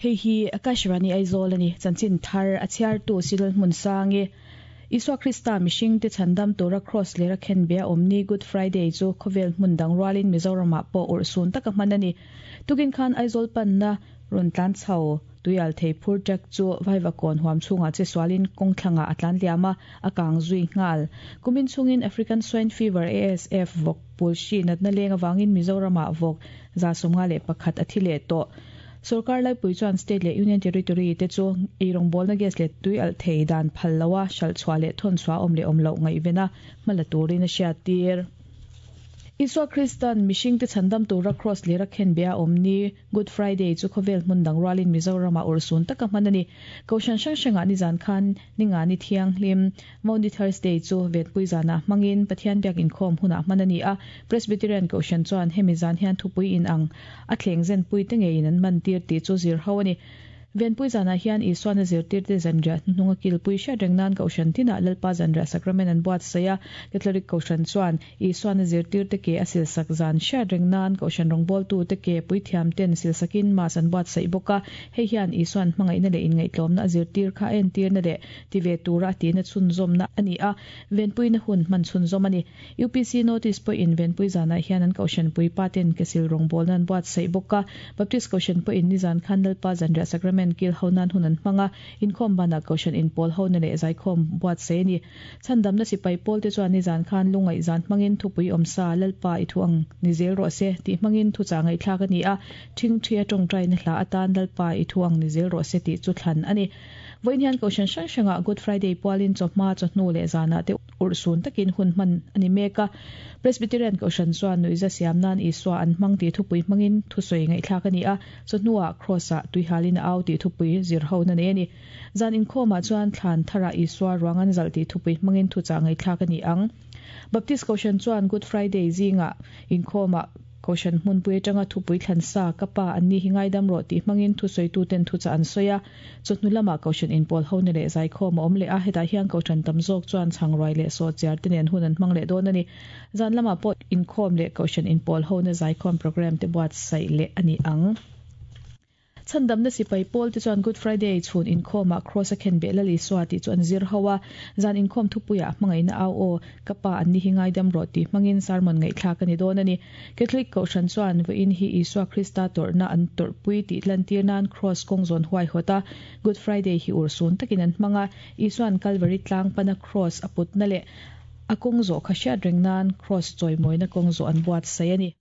Hei hi Akashvani Aizawl a ni. Chanchin thar a chhiartu Sidal Hmunsangi. Isua Krista mihringte chhandam tura Kraws lera khenbe a awm ni Good Friday chu khawvel hmun dang rualin Mizoramah pawh urhsun taka hman a ni. Tukin khan Aizawl panna rawn tlan chho tuial thei phur truck chu Vaivakawn huam chhungah che sualin kawngthlangah a tlan liam a, a kang zui nghal. Kumin chhungin African Swine Fever, ASF, vawk pul hri natna leng avangin Mizoramah vawk 151 a thi leh tawh. Sorkar laipui chuan State leh Union Territory te chu eirawngbawlna gas leh tui alh thei dan phal loa hralh chhuah leh thawn chhuah awm leh awm loh ngaihven a hma la turin a hriattir. Isua Kristan mihringte chhandam tura Kraws lera khenbe a awm ni Good Friday chu khawvel hmun dang rualin Mizoramah urhsun taka hman a ni. Kohhran hrang hrangah nizan khan Ningani Thianghlim, Maundy Thursday, chu Venpui zanah hmangin Pathian biak inkhawm hunah hman a ni a. Presbyterian Kohhran chuan hemi zan hian thupui inang a thleng zenpui te ngeiin an man tir tih chu zir ho a ni. Venpui zanah hian Isuan a zirtirte zanriah hnuhnung a kilpui hriat reng nan Kohhran tinah Lalpa zanriah Sacrament an buatsaih a. Catholic Kohhran chuan Isuan a zirtirte ke a silsak zan hriat reng nan Kohhran rawngbawltute ke puithiamten silsakin Mass an buatsaih bawk a. Hei hian Isuan hmangaihna leh inngaihtlawmna a zirtir kha a entirna leh ti ve tura a tihna chhunzawmna a ni a, venpuina hun hman chhunzawm a ni. UPC Notice pawhin venpui zanah hian an Kohhran puipa ten kesil rawngbawlna an buatsaih bawk a. Baptist Kohhran pawhin nizan khan Lalpa Zanriah Sacrament kil ho nan hun an hmang a, inkhawm banah Kohhran inpawl hona leh zaikhawm buatsaih a ni. Chhandamna sipai pawlte chuan nizan khan lungaih zan hmangin thupui awmsa Lalpa i thu ang ni zel rawh se tih hmangin thuchah ngaihthlak a ni a, ṭhingṭhi a ṭawngṭaina hla atan Lalpa i thu ang ni zel rawh se tih chu thlan a ni. Vawiin hian Kohhran hrang hrangah Good Friday pualin chawhma, chawhnu leh zanah te urhsun takin hun hman a ni mek a. Presbyterian Kohhran chuan nuihza siam nan Isua an hmang tih thupui hmangin thusawi ngaihthlak a ni a, chawhnuah Kraws-ah tuihalin a au tih thupui zirhona nei a ni. Zan inkhawmah chuan thlan tharah Isua ruang an zalh tih thupui hmangin thuchah ngaihthlak a ni ang. Baptist Kohhran chuan Good Friday zingah inkhawmah Kohhran hmunpui atanga thupui thlan sa, Ka pa, anni hi ngaidam rawh tih hmangin thusawituten thuchah an sawi a. Chawhnu lamah Kohhran inpawl hona leh zaikhawm a awm leh a, hetah hian Kohhran tam zawk chuan chhangruai leh sawhchiar te nen hun an hmang leh dawn a ni. Zan lamah pawh inkhawm leh Kohhran inpawl hona zaikhawm programme te buatsaih leh a ni ang. Chhandamna sipai pawl te chuan Good Friday chhun inkhawmah Kraws a khenbeh Lal Isua tih chu an zir ho a. Zan inkhawm thupuiah hmangaihna au aw, ka pa an ni hi ngaidam rawh tih hmangin sermon ngaihthlak a ni dawn a ni. Catholic Kohhran chuan vawiin hi Isua Krista tawrhna an tawrhpui tih lantir nan Kraws kawng zawn huaihawt a, Good Friday hi urhsun takin an hmang a. Isua'n Kalvari tlang pana Kraws a putna leh a kawng zawh kha hriat reng nan Kraws chawimawina kawng zawh an buatsaih a ni.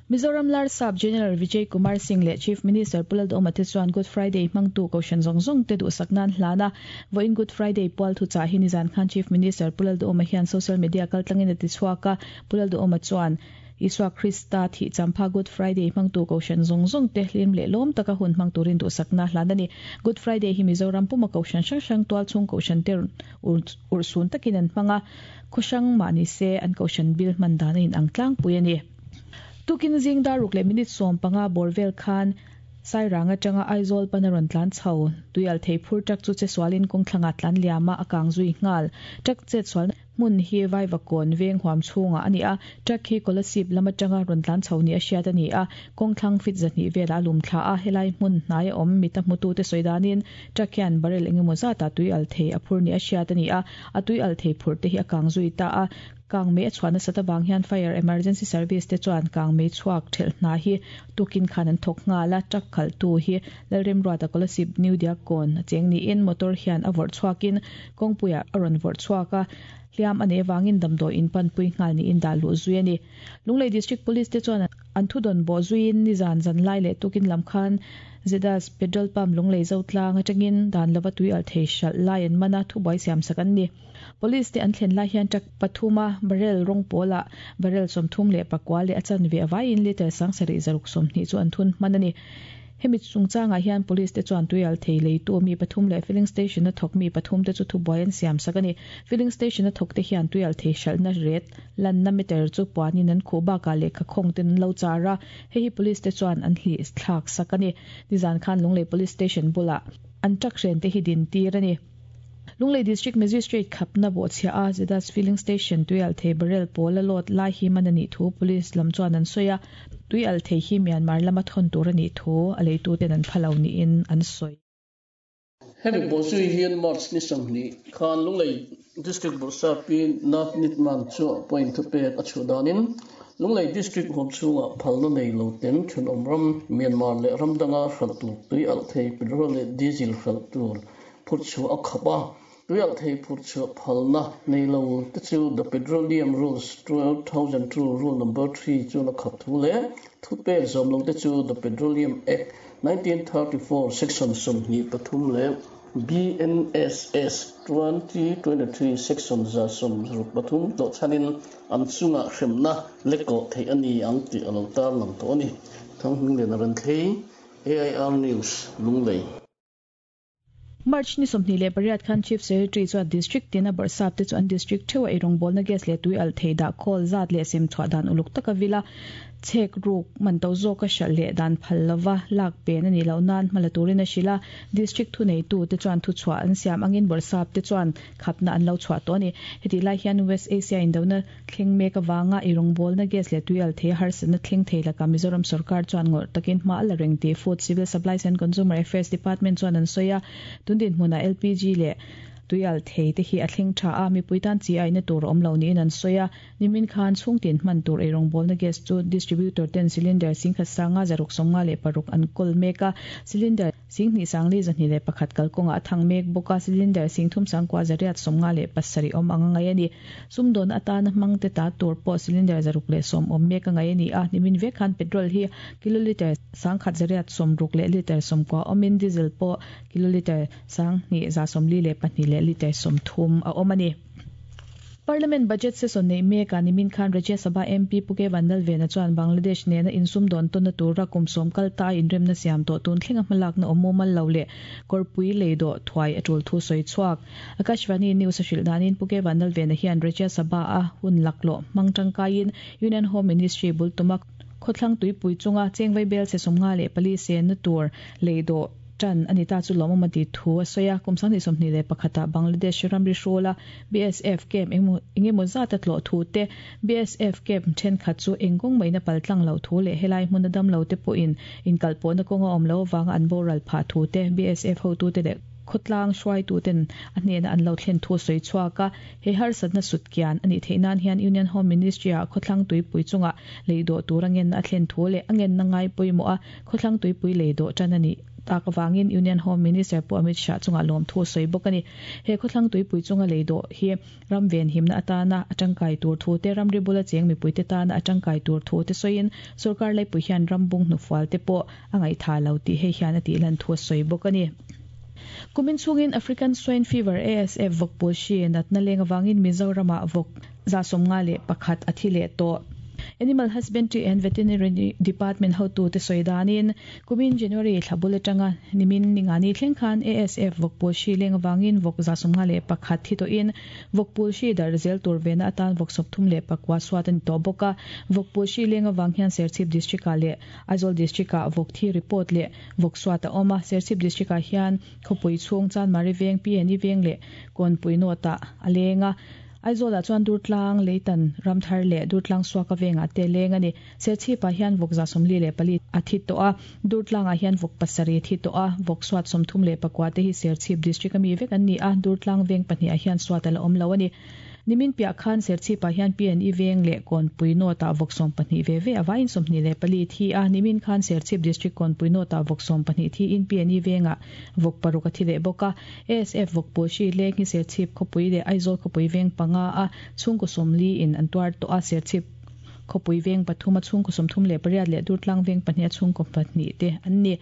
Mizoram Larsap General Vijay Kumar Singh leh Chief Minister Pu Lalduhoma te chuan Good Friday hmangtu Kohhran zawng zawng te duhsak nan hlan a. Vawiin Good Friday pual thuchah hi nizan khan Chief Minister Pu Lalduhoma hian social media kaltlangin a ti chhuak a. Pu Lalduhoma chuan, Isua Krista thih champha Good Friday hmangtu Kohhran zawng zawng te hlim leh lawm taka hun hmang turin duhsakna hlan a ni. Good Friday hi Mizoram puma Kohhran hrang hrang tualchhung Kohhran te urhsun takin an hmang a, khaw hrang mah ni se an Kohhran bil hman dan a inang tlangpui a ni. Tukin zing dar ruk leh minute 15 bawr vel khan Sairang atanga Aizawl pana rawn tlan chho tuial thei phur truck chu chesualin kawngthlangah tlan liam a, a kang zui nghal. Truck chetsualna. Hmun hi Vaivakawn veng huam chhungah a ni a, truck hi Kolasib lam atanga rawn tlan chho ni a hriat a ni a, kawngthlang fit 200 velah a lum thla a, helai hmun hnaia awm mita hmutute sawi danin truck hian barrel engemaw zatah tui al thei a phur ni a hriat a ni a, a tui al thei phurh te hi a kang zui ta a, kang mei a chhuah nasat avang hian Fire Emergency Service te chuan kang mei chhuak thelh hna hi tukin khan an thawk nghal a, truck khalhtu hi Lalremruata Kolasib New Diakkawn a cheng niin motor hian a vawrh chhuakin Kawngpuiah a rawn vawrh chhuak a, hliam a neih avangin damdawi in panpui nghal niin dah luh zui a ni. Lunglei District Police te chuan an thudawn bawh zuiin nizan zan lai leh tukin lam khan Zedas Petrol Pump Lunglei Zotlang atangin dan lova tui alh thei hralh lai an man a, thubuai siamsak an ni. Police te an thlen lai hian truck pathuma barrel rawng pawlah barrel 34 leh a chanve avaiin litre 7620 chu an thun hman a ni. Hemi chungchangah hian Police te chuan tuial thei leitu mi pathum leh filling station a thawk mi pathum te chu thubuai an siam sak a ni. Filling station a thawk te hian tuial thei hralhna ret lanna meter chu puanin an khuh bakah lehkha khawng ten an lo char a, hei hi Police te chuan an hlih thlak sak a ni. Nizan khan Lunglei Police Station bulah an truck hren te hi din tir a ni. Lunglei District Magistrate khapna bawhchhiah a Zedas Filling Station tuialhthei barrel pawl a load lai hi man a nih thu Police lam chuan an sawi a, tuialhthei hi Myanmar lama thawn tur a nih thu a leituten an pha lo niin an sawi. Hemi bawhzui hian March ni 20 khan Lunglei District Bawrhsappi Navneet Mann chu point thupek a chhuah danin Lunglei District huam chhungah phalna nei lo ten thenawm ram Myanmar leh ram danga hralh tur tui alh thei petrol leh diesel hralh tur phurh chhuah a khap a, tui alh thei phurh chhuah phalna nei lo te chu The Petroleum Rules 2002 Rule Number 3 chuan a khap thu leh thupek zawm lo te chu The Petroleum Act 1934 Section 23 leh BNSS 2023 Section 163 tlawhchhanin an chungah hremna lekawh theih a ni ang tih a lo tarlang tawh a ni. Thanghminglian a rawn thlei, AIR News, Lunglei. March ni 28 khan Chief Secretary chuan District tina bawrhsap te chu an District theuha eirawngbawlna gas leh tui alh thei dah khawl zat leh sem chhuah dan uluk taka vila chhek ruk man to zawka hralh leh dan phal lova lak pen a nih loh nan hma la turin a hrilh a. District thuneitu te chuan thuchhuah an siam angin bawrhsap te chuan khapna an lo chhuah tawh a ni. Hetih lai hian West Asia indona thleng mek avanga eirawngbawlna gas leh tui alh thei a harsatna thleng thei lakah Mizoram sorkar chuan ngawrh takin hma a la reng tih Food, Civil Supplies and Consumer Affairs Department chuan an sawi a. Tun dinhmunah LPG leh tui alh thei te hi a thleng tha a, mipui tan chi aihna tur a awm lo niin an sawi a. Nimin khan chhungtin hman tur eirawngbawlna gas chu distributor ten cylinder singkhat sanga 656 an kawl mek a, cylinder 22,201 kalkawngah a thang mek bawk a, cylinder 33,857 awm ang a ngaih a ni. Sumdawn atana hmangte ta tur pawh cylinder 610 awm mek a ngaih a ni a, nimin vek khan petrol hi kilolitre 1,160 leh litre 90 awmin diesel pawh kilolitre 2,142 leh litre 30 a awm a ni. Parliament budget session neih mekah nimin khan Rajya Sabha MP Pu K Vanlalvena chuan Bangladesh nena insumdawn tawnna tura kum sawm kal ta a inremna siam tawh tun thlenga hmalakna awm mumal lo leh kawrpui lei dawh thuai a tul thu sawi chhuak. Akashvani News a hrilh danin Pu K Vanlalvena hian Rajya Sabha a hun laklawh hmang tangkaiin Union Home Ministry bul tuma khawthlang tuipui chunga chengvai bel che 54 senna tur lei dawh tan a ni ta chu lawmawm a ti thu a sawi a. Kum 2021 ah Bangladesh ramri hrula BSF camp engemaw zat a tlawh thu te, BSF camp thenkhat chu eng kawng maina paltlang loh thu leh helai hmuna damlo te pawhin inkalpawhna kawnga awm loh avanga an boral phah thu te BSF hotute leh khawtlang hruaituten a hnena an lo thlen thu a sawi chhuak a. He harsatna sutkian a nih theih nan hian Union Home Ministry ah khawthlang tuipui chungah lei dawh tur a ngenna a thlen thu leh a ngenna ngai pawimawh a khawthlang tuipui lei dawh tan a nih tak avangin Union Home Minister Pu Amit Shah chungah lawm thu a sawi bawk a ni. He khawthlang tuipui chunga lei dawh hi ram venhimna atana a tangkai tur thu te, ramri bula cheng mipuite tana a tangkai tur thu te sawiin sorkar laipui hian ram bung hnufual te pawh a ngaihtha lo tih hei hian a tih lan thu a sawi bawk a ni. Kumin chhungin African Swine Fever, ASF, vawkpul hri natna leng avangin Mizoramah vawk 51 a thi leh tawh. Animal Husbandry and Veterinary Department hotute sawi danin kumin January thla bul atanga nimin ningani thleng khan ASF vawkpul hri leng avangin vawk 51 thi tawhin vawkpul hri darh zel tur vena atan vawk 39 suat a ni tawh bawk a. Vawkpul hri leng avang hian Serchhip District ah leh Aizawl District ah vawk thi report leh vawk suat a awm a. Serchhip District ah hian khawpui chhung Chanmari veng, PNE veng leh Kawnpui North ah a leng a. Aizawlah chuan Durtlang, Leitan, Ramthar leh Durtlang Suaka vengah te leng a ni. Serchhipah hian vawk 44 a thi tawh a, Durtlangah hian vawk pasarih a thi tawh a, vawk suat 34 te hi Serchhip District a mi vek an ni a, Durtlang veng pahnih ah hian suat a la awm lo a ni. Nimin piah khan Serchhipah hian PNE veng leh Kawnpui North ah vawk 12 ve ve a vaiin 24 thi a, nimin khan Serchhip District Kawnpui North ah vawk 12 thiin PNE vengah vawk paruk a thi leh bawk a. ASF vawkpul hri leng hi Serchhip khawpui leh Aizawl khawpui veng panga a chhungkaw 40 in an tuar tawh a, Serchhip khawpui veng pathum a chhungkaw 38 leh Durtlang veng pahnih a chhungkaw pahnih te an ni.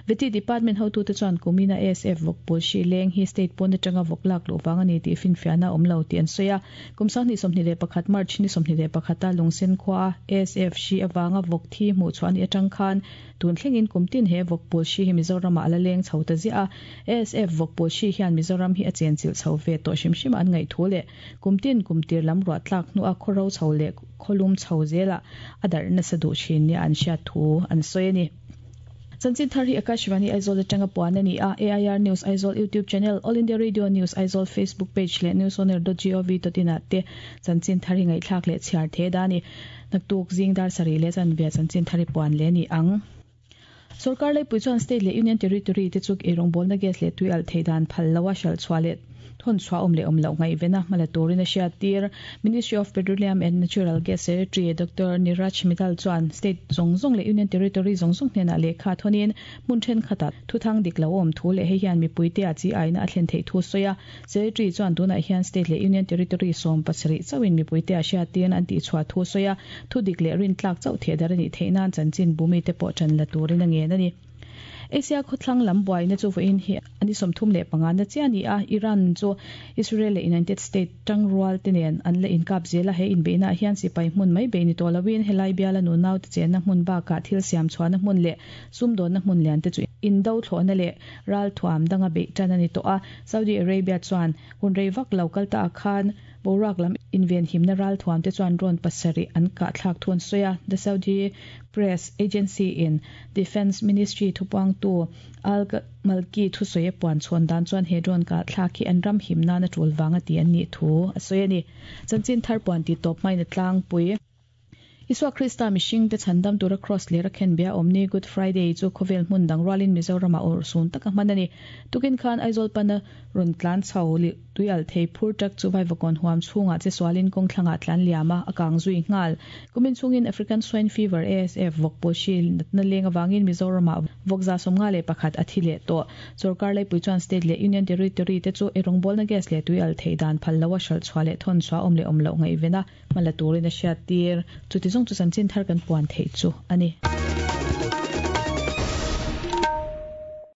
Vety Department hotute chuan kumina ASF vawkpul hri leng hi state pawn atanga vawk lak luh vang a ni tih finfiahna a awm lo tih an sawi a. Kum 2021 March ni 21 a Lungsen khua a ASF hri avanga vawk thi hmuh chhuah a nih atang khan tun thlengin kum tin he vawkpul hri hi Mizoramah a la leng chho ta ziah a. ASF vawkpul hri hian Mizoram hi a chenchilh chho ve tawh hrim hrim a an ngaih thu leh kum tin kum tir lam ruah tlak hnuah khawro chho leh khawlum chho zelah a darh nasa duh thin nia an hriat thu an sawi a ni. Chanchin thar hi Akashvani Aizawl atanga puan a ni a, AIR News Aizawl YouTube channel, All India Radio News Aizawl Facebook page leh newsonair.gov.in ah te chanchin thar hi ngaihthlak leh chhiar the da a ni. Naktuk zing dar sarih leh chanve chanchin thar hi puan leh a ni ang. Sorkar laipui chuan State leh Union Territory te chu eirawngbawlna gas leh tui alh theih dan phal loa hralh chhuah leh thawn chhuah awm leh awm loh ngaihvena hmala turin a hriattir. Ministry of Petroleum and Natural Gas Secretary Doctor Niraj Mittal chuan State zawng zawng leh Union Territory zawng zawng hnenah lehkha thawnin hmun thenkhatah thuthang dik lo awm thu leh hei hian mipuite ah chi aina a thlen theih thu a sawi a. Secretary chuan tunah hian State leh Union Territory 70 chauhin mipuite ah hriattirna an tihchhuah thu a sawi a, thu dik leh rintlak chauh theh dar a nih theih nan chanchin bumite pawh ṭan la turin a ngen a ni. Asia khawthlang lam buaina chu vawiin hi a ni 35 na chiah a ni a, Iran chu Israel leh United States tangrual te nen an la inkap zel a, he inbeihnaah hian sipai hmun mai bei ni tawh loin helai biala nunaute chenna hmun bakah thil siam chhuahna hmun leh sumdawnna hmun lian te chu indo thlawhna leh ralthuam danga beih tan a ni tawh a, Saudi Arabia chuan hun rei vak lo kal ta ah khan boruak lam invenhimna ralthuam te chuan drone pasarih an kah thlak thu an sawi a, The Saudi Press Agency in Defence Ministry thupuangtu Al Malki thusawi a puan chhawn dan chuan he drone kah thlak hi an ram him nan a tul vang a ti an nih thu a sawi a ni. Chanchin thar puan tih tawp hmain a tlangpui. Isua Krista mihringte chhandam tura Kraws ler a khen bia awm ni Good Friday chu khawvel hmun dang rualin Mizoramah awrh sun taka hman a ni. Tukin khan Aizawl pana rawn tlan chho leh tui alh thei phur truck chu Vaivakawn huam chhungah che sualin kawng thlangah tlan liam a, a kang zui nghal. Kumin chhungin African Swine Fever, ASF, vawk pawlhri natna leng avangin Mizoramah vawk 51 a thi leh tawh. Sorkar laipui chuan State leh Union Territory te chu eirawngbawlna gas leh tui alh theih dan phal loa hralh chhuah leh thawn chhuah awm leh awm loh ngaihven a, Hmala turin a hriattir. Chuti zawng chu chanchin thar kan puan theih chu a ni.